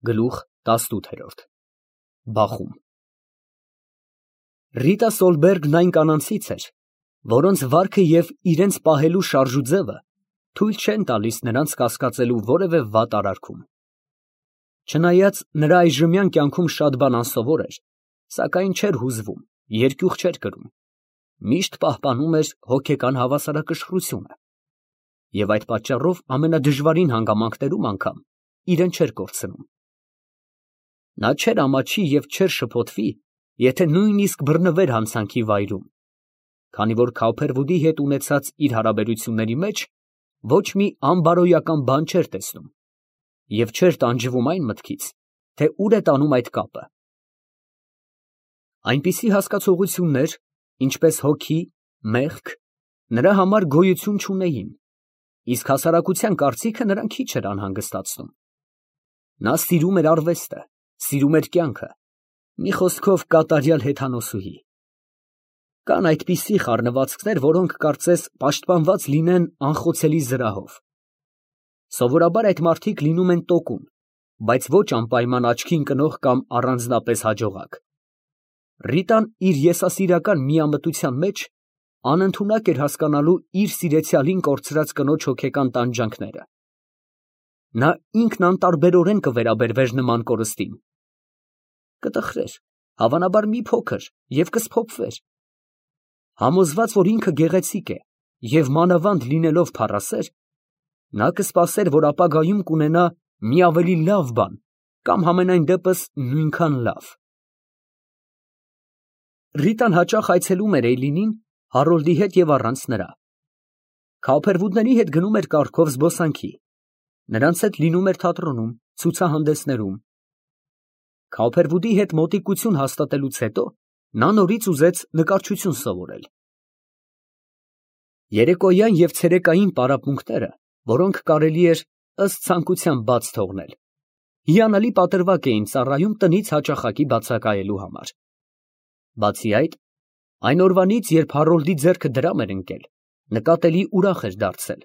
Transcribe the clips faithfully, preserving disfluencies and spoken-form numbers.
Գլուխ տասնութ։ Բախում Ռիտա Սոլբերգն այն կանանցից էր, որոնց վարքը և իրենց պահելու շարժուձևը թույլ չեն տալիս նրանց կասկածելու որևէ վատ արարքում։ Չնայած նրա այժմյան կյանքում շատ բան անսովոր էր, սակայն չէր հուզվում, երկյուղ չէր կրում, միշտ պահպանում էր հոգեկան հավասարակշռությունը և այդ պատճառով ամենադժվարին հանգամանքներում անգամ իրեն չէր կորցնում։ Նա չէր ամաչի և չէր շփոթվի, եթե նույնիսկ բռնվեր հանցանքի վայրում, քանի որ Քավփերվուդի հետ ունեցած իր հարաբերությունների մեջ ոչ մի անբարոյական բան չէր տեսնում և չէր տանջվում այն մտքից, թե ուր է տանում այդ կապը։ Այնպիսի հասկացություններ, ինչպես հոգի, մեղք, նրա համար գոյություն չունեին, իսկ հասարակության կարծիքը նրան քիչ էր անհանգստացնում։ Նա սիրում էր արվեստը, սիրում էր կյանքը, մի խոսքով կատարյալ հեթանոսուհի։ Կան այդպիսի խառնվածքներ, որոնք կարծես պաշտպանված լինեն անխոցելի զրահով։ Սովորաբար այդ մարդիկ լինում են տոկուն, բայց ոչ անպայման աչքի ընկնող կամ առանձնապես հաջողակ։ Ռիտան իր եսասիրական միամտության մեջ անընդունակ էր հասկանալու իր սիրեցյալին կորցրած կնոջ հոգեկան տանջանքները։ Նա ինքն անտարբերորեն կվերաբերվեր նման կորստին։ Կտխրեր, հավանաբար մի փոքր, և կսփոփվեր։ Համոզված, որ ինքը գեղեցիկ է և մանավանդ լինելով փառասեր, նա կսպասեր, որ ապագայում կունենա մի ավելի լավ բան կամ համենայն դեպս նույնքան լավ։ Ռիտան հաճախ այցելում էր Էյլինին Հարոլդի հետ և առանց նրա։ Քավփերվուդների հետ գնում էր կառքով զբոսանքի, նրանց հետ լինում էր թատրոնում, ցուցահանդեսներում։ Քավփերվուդի հետ մոտիկություն հաստատելուց հետո նա նորից ուզեց նկարչություն սովորել։ Երեկոյան և ցերեկային պարապմունքները, որոնք կարելի էր ըստ ցանկության բաց թողնել, հիանալի պատրվակ էին ծառայում տնից հաճախակի բացակայելու համար։ Բացի այդ, այն օրվանից, երբ Հարոլդի ձեռքը դրամ էր ընկել, նկատելի ուրախ էր դարձել,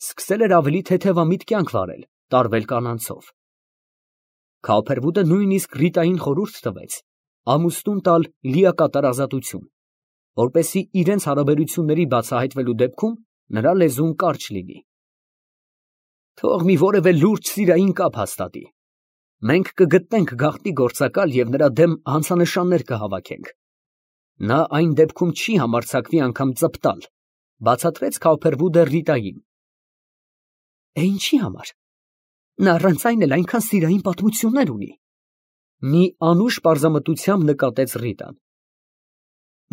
սկսել էր ավելի թեթևամիտ կյանք վարել, տարվել կանանցով։ Քավփերվուդը նույնիսկ Ռիտային խորհուրդ տվեց ամուսնուն տալ լիակատար ազատություն, որպեսզի իրենց հարաբերությունների բացահայտվելու դեպքում նրա լեզուն կարճ լինի։ Թող մի որևէ լուրջ սիրային կապ հաստատի, մենք կգտնենք գաղտնի գործակալ և նրա դեմ հանցանշաններ կհավաքենք։ Նա այն դեպքում չի համարձակվի անգամ ծպտալ, բացատրեց Քավփերվուդը Ռիտային։ Է, ինչի համար, նա առանց այն էլ այնքան սիրային պատմություններ ունի, մի անուշ պարզամտությամբ նկատեց Ռիտան։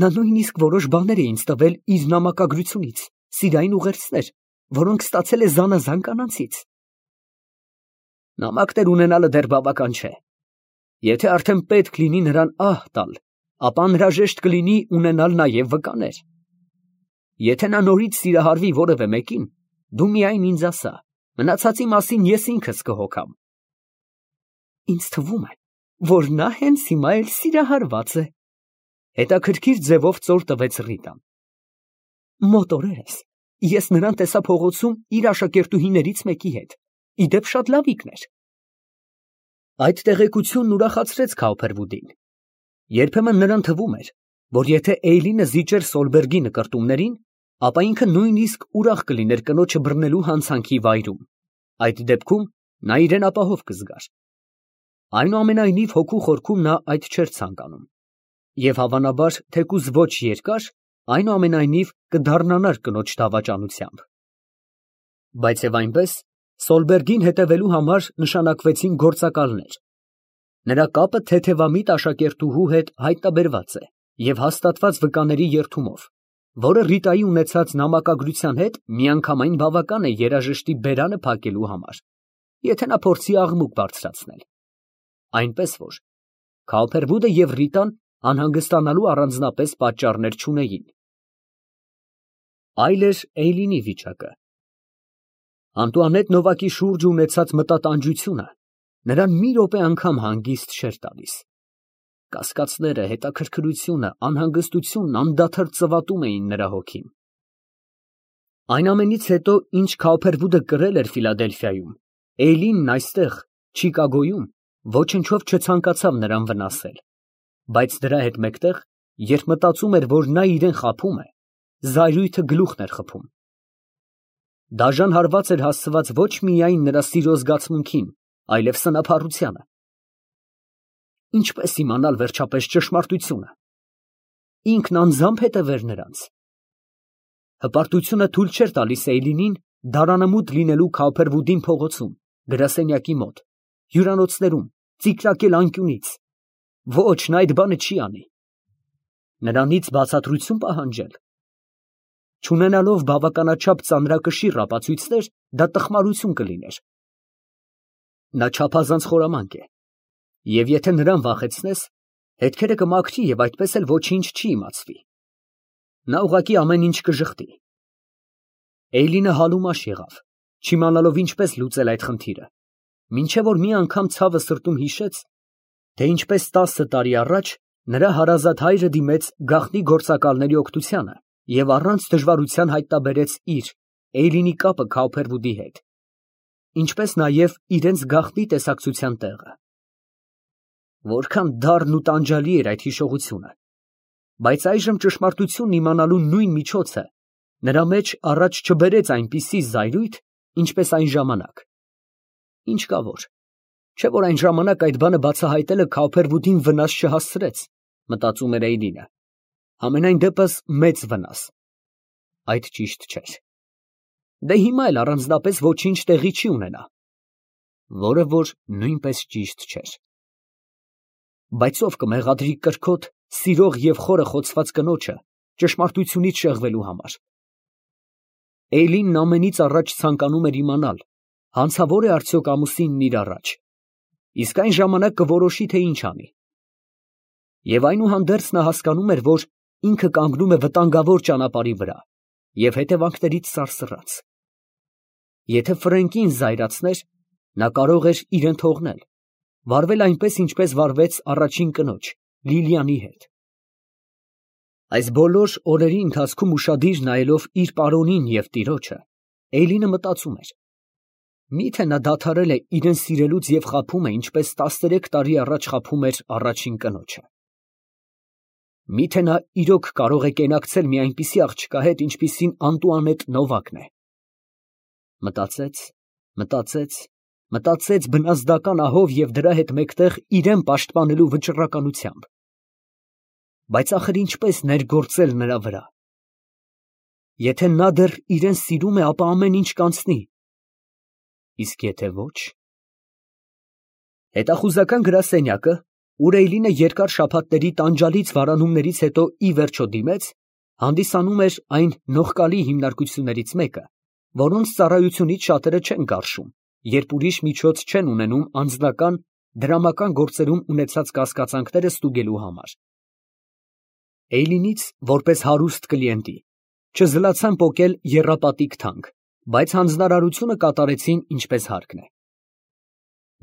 Նա նույնիսկ որոշ բաներ է ինձ տվել իր նամակագրությունից, սիրային ուղերձներ, որոնք ստացել է զանազան կանանցից։ Նամակներ ունենալը դեռ բավական չէ։ Եթե արդեն պետք լինի նրան ահ տալ, ապա անհրաժեշտ կլինի ունենալ նաև վկաներ։ Եթե նա նորից սիրահարվի որևէ մեկին, դու միայն ինձ ասա, մնացածի մասին ես ինքս կհոգամ։ Ինձ թվում է, որ նա հենց հիմա էլ սիրահարված է, հետաքրքիր ձևով ծոր տվեց Ռիտան։ Մոտ օրերս ես նրան տեսա փողոցում իր աշակերտուհիներից մեկի հետ, ի դեպ շատ լավիկն էր։ Այդ տեղեկությունն ուրախացրեց Քավփերվուդին։ Երբեմն նրան թվում էր, որ եթե Էյլինը զիջեր Սոլբերգի նկրտումներին, ապա ինքը նույնիսկ ուրախ կլիներ կնոջը բռնելու հանցանքի վայրում, այդ դեպքում նա իրեն ապահով կզգար։ Այնուամենայնիվ հոգու խորքում նա այդ չէր ցանկանում, և հավանաբար, թեկուզ ոչ երկար, այնուամենայնիվ կդառնանար կնոջ դավաճանությամբ։ Բայց և այնպես, Սոլբերգին հետևելու համար նշանակվեցին գործակալներ։ Նրա կապը թեթևամիտ աշակերտուհու հետ հայտնաբերված է և հաստատված վկաների երդումով, որը Ռիտայի ունեցած նամակագրության հետ միանգամայն բավական է երաժշտի բերանը փակելու համար, եթե նա փորձի աղմուկ բարձրացնել։ Այնպես որ Քավփերվուդը և Ռիտան անհանգստանալու առանձնապես պատճառներ չունեին։ Այլ էր Էյլինի վիճակը։ Անտուանետ Նովակի շուրջ ունեցած մտատանջությունը նրան մի րոպե անգամ հանգիստ չէր տալիս։ Կասկածները, հետաքրքրությունը, անհանգստությունն անդադար ծվատում էին նրա հոգին։ Այն ամենից հետո, ինչ Քավփերվուդը կրել էր Ֆիլադելֆիայում, Էյլինն այստեղ, Չիկագոյում, Ոչնչով չցանկացավ նրան վնասել, բայց դրա հետ մեկտեղ, երբ մտածում էր, որ նա իրեն խաբում է, զայրույթը գլուխն էր խփում։ Դաժան հարված էր հասցված ոչ միայն նրա սիրո զգացմունքին, այլև սնափառությանը։ Ինչպես իմանալ վերջապես ճշմարտությունը։ Ինքն անձամբ հետևեր նրանց։ Հպարտությունը թույլ չէր տալիս Էյլինին դարանամուտ լինելու Քավփերվուդին փողոցում, գրասենյակի մոտ, հյուրանոցներում, ծիկրակել անկյունից։ Ոչ, նա այդ բանը չի անի։ Նրանից բացատրություն պահանջել։ Չունենալով բավականաչափ ծանրակշիռ ապացույցներ, դա տխմարություն կլիներ։ Նա չափազանց խորամանկ է, և եթե նրան վախեցնես, հետքերը կմաքրի և այդպես էլ ոչինչ չի իմացվի։ Նա ուղղակի ամեն ինչ կժխտի։ Էյլինը հալումաշ եղավ, չիմանալով ինչպես լուծել այդ խնդիրը, մինչև որ մի անգամ ցավը սրտում հիշեց, թե ինչպես տասը տարի առաջ նրա հարազատ հայրը դիմեց գաղտնի գործակալների օգնությանը և առանց դժվարության հայտնաբերեց իր, Էյլինի կապը Քավփերվուդի հետ, ինչպես նաև իրենց գաղտնի տեսակցության տեղը։ Որքան դառն ու տանջալի էր այդ հիշողությունը, բայց այժմ ճշմարտությունն իմանալու նույն միջոցը նրա մեջ առաջ չբերեց այնպիսի զայրույթ, ինչպես այն ժամանակ։ Ինչ կա որ, չէ՞ որ այն ժամանակ այդ բանը բացահայտելը Քավփերվուդին վնաս չհասցրեց, մտածում էր Էյլինը, համենայն դեպս մեծ վնաս։ Այդ ճիշտ չէր։ Դե հիմա էլ առանձնապես ոչինչ տեղի չի ունենա, որը որ նույնպես ճիշտ չէր։ Բայց ով կմեղադրի կրքոտ, սիրող և խորը խոցված կնոջը ճշմարտությունից շեղվելու համար։ Էյլինն ամենից առաջ ցանկանում էր իմանալ, հանցավոր է արդյոք ամուսինն իր առաջ, իսկ այն ժամանակ կորոշի, թե ինչ անի։ Եվ այնուհանդերձ նա հասկանում էր, որ ինքը կանգնում է վտանգավոր ճանապարհի վրա և հետևանքներից սարսռած։ Եթե Ֆրենկին զայրացներ, նա կարող էր իրեն թողնել, վարվել այնպես, ինչպես վարվեց առաջին կնոջ՝ Լիլիանի հետ։ Այս բոլոր օրերի ընթացքում ուշադիր նայելով իր պարոնին և տիրոջը, Էյլինը մտածում էր. միթե նա դադարել է իրեն սիրելուց և խաբում է, ինչպես տասներեք տարի առաջ խաբում էր առաջին կնոջը։ Միթե նա իրոք կարող է կենակցել մի այնպիսի աղջկա հետ, ինչպիսին Անտուանետ Նովակն է։ Մտածեց, մտածեց, մտածեց բնազդական ահով և դրա հետ մեկտեղ իրեն պաշտպանելու վճռականությամբ։ Բայց ախր ինչպես ներգործել նրա վրա։ Եթե նա դեռ իրեն սիրում է, ապա ամեն ինչ կանցնի, իսկ եթե ոչ… Հետախուզական գրասենյակը, ուր Էյլինը երկար շաբաթների տանջալից վարանումներից հետո ի վերջո դիմեց, հանդիսանում էր այն նողկալի հիմնարկություններից մեկը, որոնց ծառայությունից շատերը չեն գարշում, երբ ուրիշ միջոց չեն ունենում անձնական, դրամական գործերում ունեցած կասկածանքները ստուգելու համար։ Էյլինից, որպես հարուստ կլիենտի, չզլացան պոկել եռապատիկ թանկ, բայց հանձնարարությունը կատարեցին ինչպես հարկն է։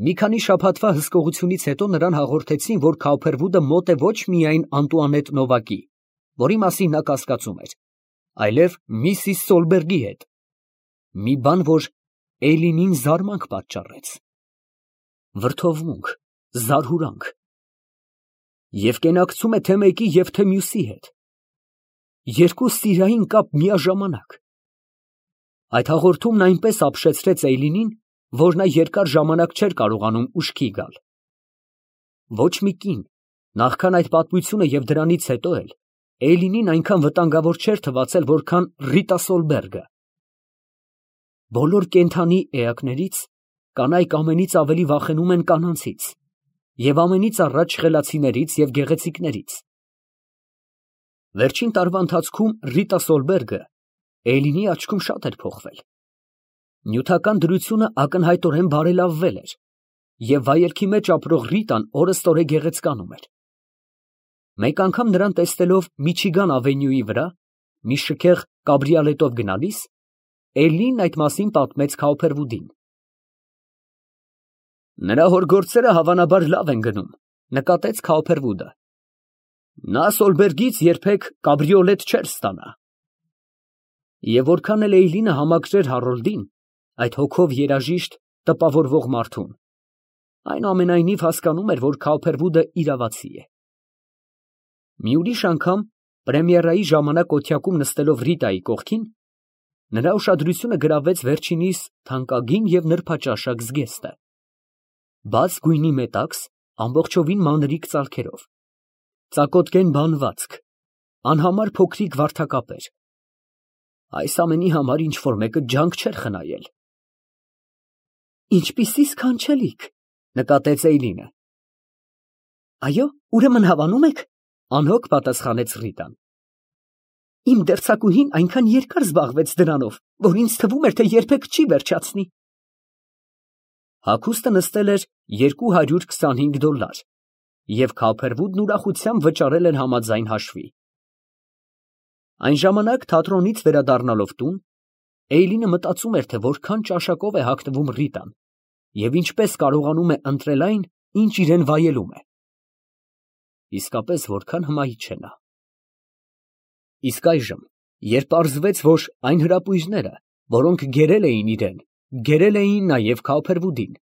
Մի քանի շաբաթվա հսկողությունից հետո նրան հաղորդեցին, որ Քավփերվուդը մոտ է ոչ միայն Անտուանետ Նովակի, որի մասին նա կասկածում էր, այլև միսիս Սոլբերգի հետ։ Մի բան, որ Էյլինին զարմանք պատճառեց։ Վրդովմունք, զարհուրանք։ Եվ կենակցում է թե մեկի և թե մյուսի հետ։ Երկու սիրային կապ միաժամանակ։ Այդ հաղորդումն այնպես ապշեցրեց Էյլինին, որ նա երկար ժամանակ չէր կարողանում ուշքի գալ։ Ոչ մի կին, նախքան այդ պատմությունը և դրանից հետո էլ, Էյլինին այնքան վտանգավոր չէր թվացել, որքան Ռիտա Սոլբերգը։ Բոլոր կենդանի էակներից կանայք ամենից ավելի վախենում են կանանցից և ամենից առաջ խելացիներից և գեղեցիկներից։ Վերջին տարվա ընթացքում Ռիտա Սոլբերգը Էյլինի աչքում շատ էր փոխվել։ Նյութական դրությունը ակնհայտորեն բարելավվել էր, և վայելքի մեջ ապրող Ռիտան օրըստօրե գեղեցկանում էր։ Մեկ անգամ նրան տեսնելով Միչիգան ավենյուի վրա, մի շքեղ կաբրիոլետով գնալիս, Էյլինն այդ մասին պատմեց Քավփերվուդին։ Նրա հոր գործերը հավանաբար լավ են գնում, նկատեց Քավփերվուդը։ Նա Սոլբերգից երբեք կաբրիոլետ չէր ստանա։ Եվ որքան էլ Էյլինը համակրեր Հարոլդին, այդ հոգով երաժիշտ, տպավորվող մարդուն, Այնուամենայնիվ հասկանում էր, որ Քալփերվուդը իրավացի է։ Մի ուրիշ անգամ պրեմիերայի ժամանակ օթյակում նստելով Ռիտայի կողքին, նրա ուշադրությունը գրավեց վերջինիս թանկագին և նրբաճաշակ զգեստը, բաց գույնի մետաքս, ամբողջովին մանրիկ ծալքերով, ծակոտկեն բանվածք, անհամար փոքրիկ վարդակապեր, այս ամենի համար ինչ֊որ մեկը ջանք չէր խնայել։ Ինչպիսի սքանչելիք, նկատեց Էյլինը։ Այո, ուրեմն հավանում եք, անհոգ պատասխանեց Ռիտան։ Իմ դերձակուհին այնքան երկար զբաղվեց դրանով, որ ինձ թվում էր, թե երբեք չի վերջացնի։ Հագուստը նստել էր երկու հարյուր քսանհինգ դոլար, և Քալփերվուդն ուրախությամբ վճարել էր համաձայն հաշվի։ Այն ժամանակ թատրոնից վերադառնալով տուն, Էյլինը մտածում էր, թե որքան ճաշակով է հագնվում Ռիտան և ինչպես կարողանում է ընտրել այն, ինչ իրան վայելում է։ Իսկապես որքան հմայիչ է նա։ Իսկ այժմ, երբ պարզվեց, որ այն հրապույրները, որոնք գերել էին իրան, գերել էին նաև Քալփերվուդին,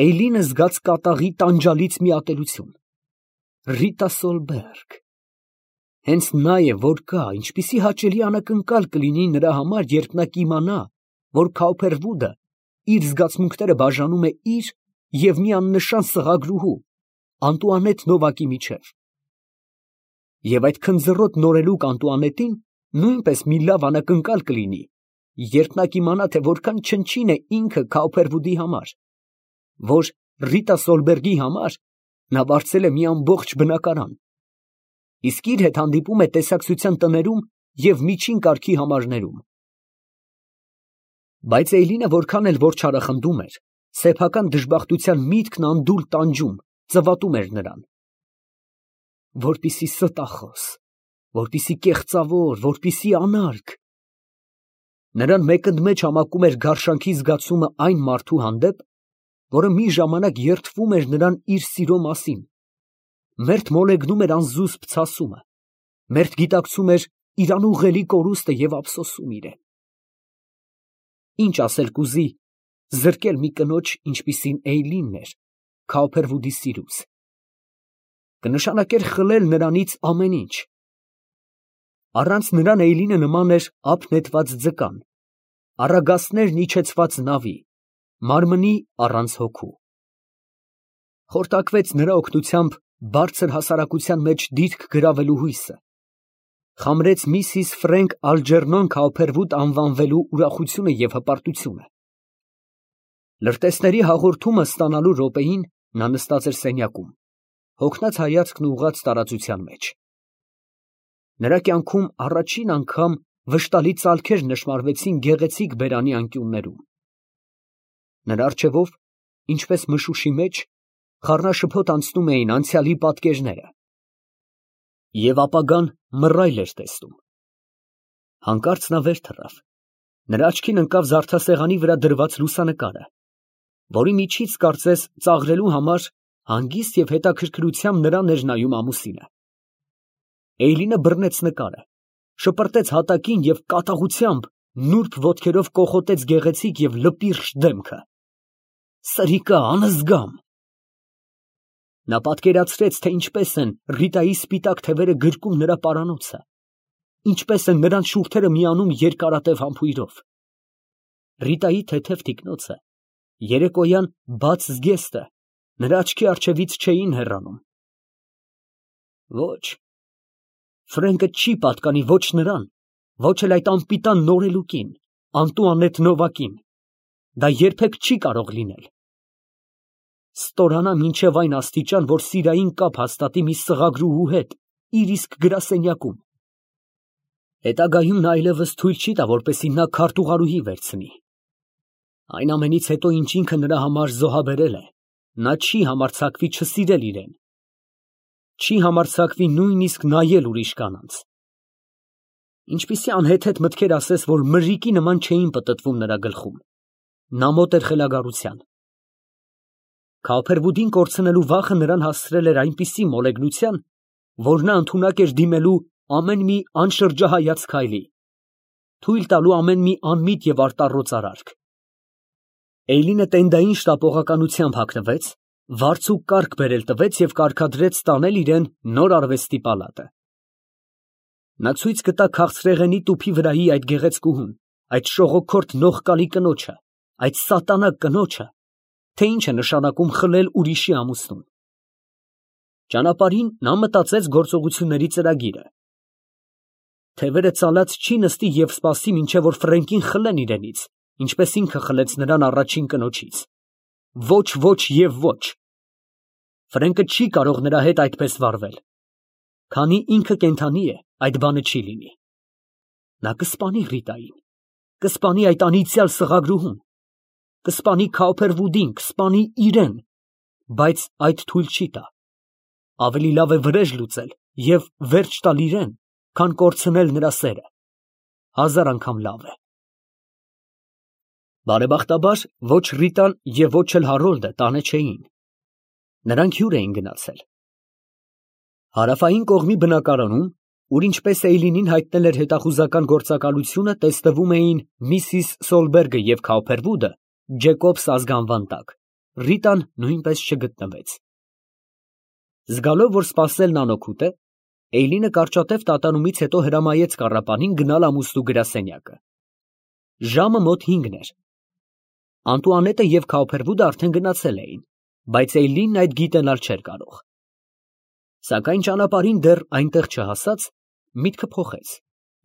Էյլինը զգաց կատաղի տանջալից մի ատելություն։ Ռիտա Սոլբերգ… Հենց նա է, որ կա, ինչպիսի հաճելի անակնկալ կլինի նրա համար, երբ նա կիմանա, որ Քալփերվուդը իր զգացմունքները բաժանում է իր և մի աննշան սղագրուհու, Անտուանետ Նովակի միջև։ Եվ այդ քնձռոտ նորելուկ Անտուանետին նույնպես մի լավ անակնկալ կլինի, երբ նա կիմանա, թե որքան չնչին է ինքը Քալփերվուդի համար, որ Ռիտա Սոլբերգի համար նա վարձել է մի ամբողջ բնակարան, իսկ իր հետ հանդիպում է տեսակցության տներում և միջին կարգի համարներում։ Բայց Էյլինը որքան էլ որ չարախնդում էր, սեփական դժբախտության միտքն անդուլ տանջում, ծվատում էր նրան։ Որպիսի ստախոս, որպիսի կեղծավոր, որպիսի անարգ… Նրան մեկընդմեջ համակում էր գարշանքի զգացումը այն մարդու հանդեպ, որը մի ժամանակ երդվում էր նրան իր սիրո մասին, մերթ մոլեգնում էր անզուսպ ցասումը, մերթ գիտակցում էր իր անուղղելի կորուստը և ափսոսում իրան։ Ինչ ասել կուզի զրկել մի կնոջ, ինչպիսին Էյլինն էր, Քալփերվուդի սիրուց, կնշանակեր խլել նրանից ամեն ինչ։ Առանց նրան Էյլինը նման էր ափ նետված ձկան, առագաստներն իջեցված նավի, մարմնի առանց հոգու։ Խորտակվեց նրա օգնությամբ բարձր հասարակության մեջ դիրք գրավելու հույսը, խամրեց միսիս Ֆրենկ Ալջերնոն Քալփերվուդ անվանվելու ուրախությունը և հպարտությունը։ Լրտեսների հաղորդումը ստանալու րոպեին նա նստած էր սենյակում, հոգնած հայացքն ուղղած տարածության մեջ։ Նրա կյանքում առաջին անգամ վշտալի ծալքեր նշմարվեցին գեղեցիկ բերանի անկյուններում։ Նրա առջևով, ինչպես մշուշի մեջ, խառնաշփոթ անցնում էին անցյալի պատկերները, և ապագան մռայլ էր տեսնում։ Հանկարծ նա վեր թռավ, նրա աչքին ընկավ զարդասեղանի վրա դրված լուսանկարը, որի միջից, կարծես ծաղրելու համար, հանգիստ և հետաքրքրությամբ նրան էր նայում ամուսինը։ Էյլինը բռնեց նկարը, շպրտեց հատակին և կատաղությամբ նուրբ ոտքերով կոխոտեց գեղեցիկ և լպիրշ դեմքը։ Սրիկա, անզգամ… Նա պատկերացրեց, թե ինչպես են Ռիտայի սպիտակ թևերը գրկում նրա պարանոցը, ինչպես են նրանց շուրթերը միանում երկարատև համբույրով։ Ռիտայի թեթև թիկնոցը, երեկոյան բաց զգեստը նրա աչքի առջևից չէին հեռանում։ Ոչ, Ֆրենկը չի պատկանի ոչ նրան, ոչ էլ այդ անպիտան նորելուկին, Անտուանետ Նովակին, դա երբեք չի կարող լինել։ Ստորանա մինչև այն աստիճան, որ սիրային կապ հաստատի մի սղագրուհու հետ իր իսկ գրասենյակում։ Հետագայում նա այլևս թույլ չի տա, որպեսզի նա քարտուղարուհի վերցնի։ Այն ամենից հետո, ինչ ինքը նրա համար զոհաբերել է, նա չի համարձակվի չսիրել իրան, չի համարձակվի նույնիսկ նայել ուրիշ կանանց։ Ինչպիսի անհեթեթ մտքեր ասես, որ մրրիկի նման չէին պտտվում նրա գլխում։ Նա մոտ էր խելագարության։ Քալփերվուդին կորցնելու վախը նրան հասցրել էր այնպիսի մոլեգնության, որ նա ընդունակ էր դիմելու ամեն մի անշրջահայաց քայլի, թույլ տալու ամեն մի անմիտ և արտառոց արարք։ Էյլինը տենդային շտապողականությամբ հագնվեց, վարձ ու կարգ բերել տվեց և կարգադրեց տանել իրան նոր արվեստի պալատը։ Նա ցույց գտա քաղցրեղենի տուփի վրայի այդ գեղեցկուհուն, այդ շողոքորթ նողկալի կնոջը, այդ սատանա կնոջը, թե ինչ է նշանակում խլել ուրիշի ամուսնուն։ Ճանապարհին նա մտածեց գործողությունների ծրագիրը։ Թևերը ծալած չի նստի և սպասի, մինչև որ Ֆրենկին խլեն իրենից, ինչպես ինքը խլեց նրան առաջին կնոջից։ Ոչ, ոչ և ոչ։ Ֆրենկը չի կարող նրա հետ այդպես վարվել։ Քանի ինքը կենդանի է, այդ բանը չի լինի։ Նա կսպանի Ռիտային, կսպանի այդ անիծյալ սղագրուհուն, կսպանի Քաուփերվուդին, կսպանի իրան, բայց այդ թույլ չի տա։ Ավելի լավ է վրեժ լուծել և վերջ տալ իրան, քան կորցնել նրա սերը։ Հազար անգամ լավ է։ Բարեբախտաբար, ոչ Ռիտան և ոչ էլ Հարոլդը տանը չէին։ Նրանք հյուր էին գնացել։ Հարավային կողմի բնակարանում, ուր ինչպես Էյլինին հայտնել էր հետախուզական գործակալությունը, տեսնվում էին միսիս Սոլբերգը և Քաուփերվուդը Ջեկոբս ազգանվան տակ, Ռիտան նույնպես չգտնվեց։ Զգալով, որ սպասելն անօգուտ է, Էյլինը կարճատև տատանումից հետո հրամայեց կառապանին գնալ ամուսնու գրասենյակը։ Ժամը մոտ հինգն էր։ Անտուանետը և Քաուփերվուդը արդեն գնացել էին, բայց Էյլինն այդ գիտենալ չէր կարող։ Սակայն ճանապարհին դեռ այնտեղ չհասած, միտքը փոխեց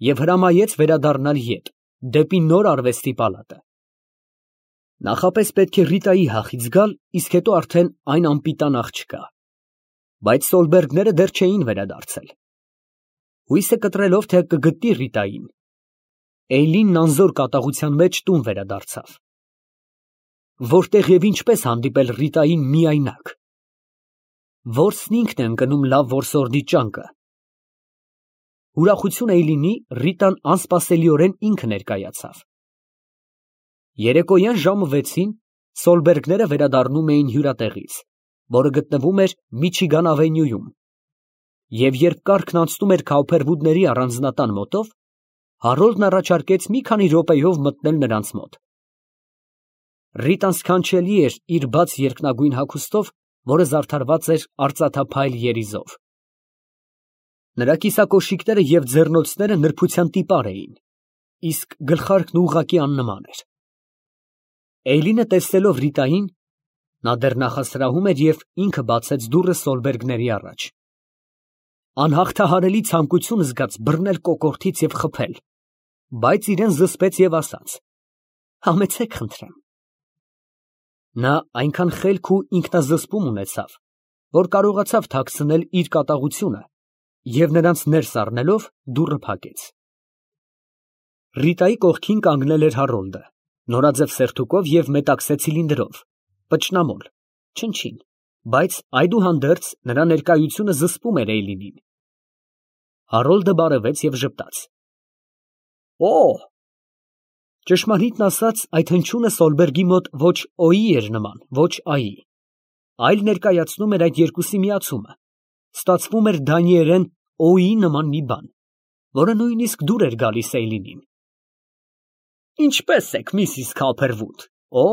և հրամայեց վերադառնալ ետ, դեպի նոր արվեստի պալատը։ Նախապես պետք է Ռիտայի հախից գալ, իսկ հետո արդեն այն անպիտան աղջկա։ Բայց Սոլբերգները դեռ չէին վերադարձել։ Հույսը կտրելով, թե կգտնի Ռիտային, Էյլինն անզոր կատաղության մեջ տուն վերադարձավ։ Որտեղ և ինչպես հանդիպել Ռիտային միայնակ։ Որսն ինքն է ընկնում լավ որսորդի ճանկը։ Ուրախություն Էյլինի, Ռիտան անսպասելիորեն ինքը ներկայացավ։ Երեկոյան ժամը վեցին Սոլբերգները վերադառնում էին հյուրատեղից, որը գտնվում էր Միչիգան ավենյուում, և երբ կառքն անցնում էր Քաուփերվուդների առանձնատան մոտով, Հարոլդն առաջարկեց մի քանի րոպեով մտնել նրանց մոտ։ Ռիտան սքանչելի էր իր բաց երկնագույն հագուստով, որը զարդարված էր արծաթափայլ երիզով։ Նրա կիսակոշիկները և ձեռնոցները նրբության տիպար էին, իսկ գլխարկն ուղղակի աննման էր։ Էյլինը տեսնելով Ռիտային, նա դեռ նախասրահում էր և ինքը բացեց դուռը Սոլբերգների առաջ։ Անհաղթահարելի ցանկություն զգաց բռնել կոկորդից և խփել, բայց իրան զսպեց և ասաց. «Համեցեք, խնդրեմ»։ Նա այնքան խելք ու ինքնազսպում ունեցավ, որ կարողացավ թաքցնել իր կատաղությունը և նրանց ներս առնելով դուռը փակեց։ Ռիտայի կողքին կանգնել էր Հարոլդը, նորաձև սերտուկով և մետաքսե ցիլինդրով, պճնամոլ, չնչին, բայց այդուհանդերձ նրա ներկայությունը զսպում էր Էյլինին։ Հարոլդը բարևեց և ժպտաց։ Օ՜։ Ճշմարիտն ասած, այդ հնչյունը Սոլբերգի մոտ ոչ օ֊ի էր նման, ոչ ա֊ի, այլ ներկայացնում էր այդ երկուսի միացումը, ստացվում էր դանիերեն օ֊ի նման մի բան, որը նույնիսկ դուր էր գալիս Էյլինին։ Ինչպե՞ս եք, միսիս Քաուփերվուդ։ Օ,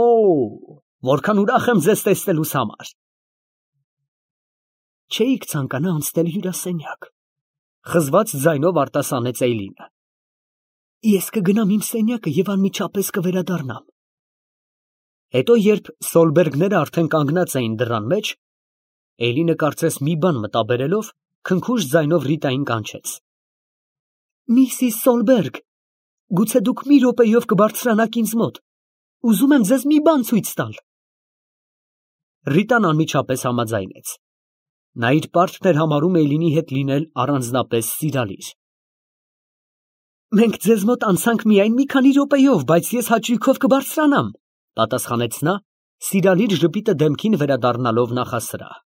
որքան ուրախ եմ ձեզ տեսնելուս համար։ Չէիք ցանկանա անցնել հյուրասենյակ, խզված ձայնով արտասանեց Էյլինը։ Ես կգնամ իմ սենյակը և անմիջապես կվերադառնամ։ Հետո, երբ Սոլբերգները արդեն կանգնած էին դռան մեջ, Էյլինը կարծես մի բան մտաբերելով, քնքուշ ձայնով Ռիտային կանչեց. Միսիս Սոլբերգ, գուցե դուք մի րոպեով կբարձրանաք ինձ մոտ, ուզում եմ ձեզ մի բան ցույց տալ։ Ռիտան անմիջապես համաձայնեց։ Նա իր պարտքն էր համարում Էյլինի հետ լինել առանձնապես սիրալիր։ Մենք ձեզ մոտ անցանք միայն մի քանի րոպեով, բայց ես հաճույքով կբարձրանամ, պատասխանեց նա, սիրալիր ժպիտը դեմքին վերադառնալով նախասրահ։